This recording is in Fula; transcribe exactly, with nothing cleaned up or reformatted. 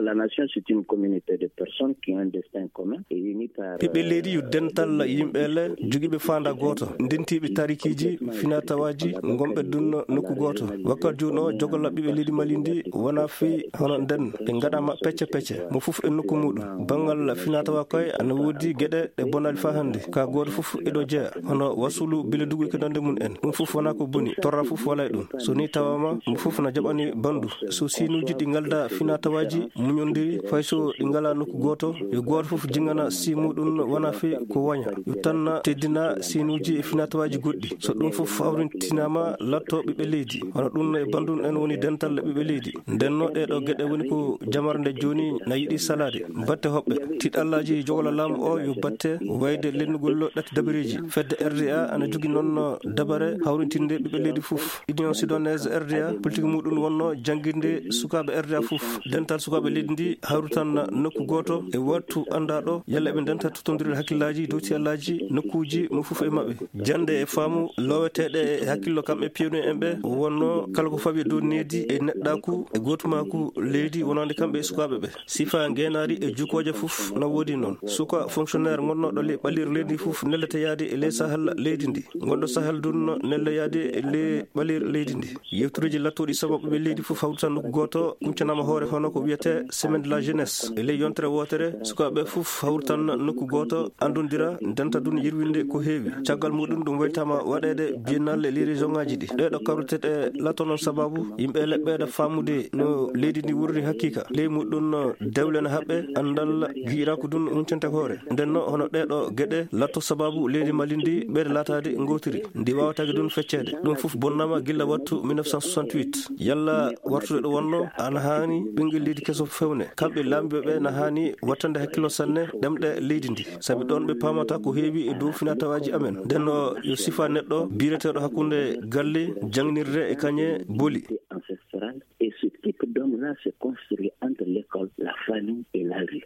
La nation, c'est une communauté de personnes qui ont un destin commun et unis par ɓiɓɓe leydi yo dental yimɓe le jogiiɓe faanda gooto, ndentiiɓe tarikiiji, finatawaaji, ngonɓe dunno nokku gooto. Wakkati jooni o, jogolla ɓiɓɓe leydi Mali ndi wona fii hono nden, ɓe ngaɗaama pecce pecce, mo fof e nokku muuɗum. Banngal finatawa koye ana woodi geɗe ɗe bonaali faa hannde. Ka gooto fof eɗo jeya, hono wasulu, biledugu e ko nande mum en. Ɗum fof wona ko boni, torra fof wala e ɗum. So ni tawama, mo fof na jaɓani bandu. So siinuuji ɗi ngalda finatawaaji muñondiri, fay so ɗi ngala nokku gooto, yo gooto fof jingana sii muɗum wona fii ko waña. Yo tan teddina siinuuji e finatawaaji goɗɗi. So ɗum fof hawrintinaama, latto ɓiɓɓe leydi. Hono ɗum e bandum en woni dental ɓiɓɓe leydi. Ndenno ɗee ɗoo geɗe woni ko jamarde jooni na yiɗi salaade. Batte hoɓɓe. Tiɗallaaji jogla laamu o yo batte wayde lennugol ɗatti dabareeji. Fedde R D A ana jogi noon dabare hawrintinde ɓiɓɓe leydi fof. Union Sudanese R D A, politique muɗum wonno jannginde sukaaɓe R D A fof. Dental sukaaɓe leydi ndi hawritan nokku gooto e wattu anndaɗo, yalla eɓe ndenta tottondirde hakkillaaji dow tiyallaaji nokkuuji mo fof e maɓɓe. Jannde e faamu loweteeɗe e hakkillo kamɓe piyowni en ɓe, wonno kala ko fawi e dow needi e neɗɗaaku e gootumaaku leydi wonande kamɓe e sukaaɓe ɓe. Sifa ngeenaari e jukooje fof na woodi noon. Suka fonctionnaire ngonnooɗo le ɓalliire leydi fof nellete yaade e ley sahal leydi ndi. Ngonɗo sahal dun nelle yaade e ley ɓalliire leydi ndi. Yewtureeji lattooɗi sababu ɓe leydi fof hawritan nokku gooto, kuncanaama hoore hono ko wiyetee Semaine de la Jeunesse. E ley yontere wootere, sukaaɓe fof hawritan nokku gooto, anndondira, ndenta dun yirwinde ko heewi. Caggal muɗum ɗum waytaama waɗeede biennale e ley région ŋaaji ɗi. Ɗee ɗoo kawriteeɗe latto noon sababu yimɓe leɓɓeede faamude no leydi ndi wurri hakiika. Ley muɗum no dewle no haɓɓe, anndal gi'iraaku dun huncante hoore. Nden no hono ɗee ɗoo geɗe latto sababu leydi Mali ndi ɓeyde laataade ngootiri. Ndi waawataake dun fecceede. Ɗum fof bonnaama gilla wattu mille neuf cent soixante-huit. Yalla wartude ɗo wonno, ana haani ɓinngel leydi keso fewne. Kamɓe laamiiɓe ɓe na haani wattande hakkillo sanne ɗemɗe leydi ndi. Sabi ɗoon ɓe paamata ko heewi e dow finatawaaji amen. Nden no yo sifa neɗɗo biireteeɗo hakkunde galle, jangnirde e kañe boli. Ancestrale. Et ce type d'homme-là s'est construit entre l'école, la famille et la rue.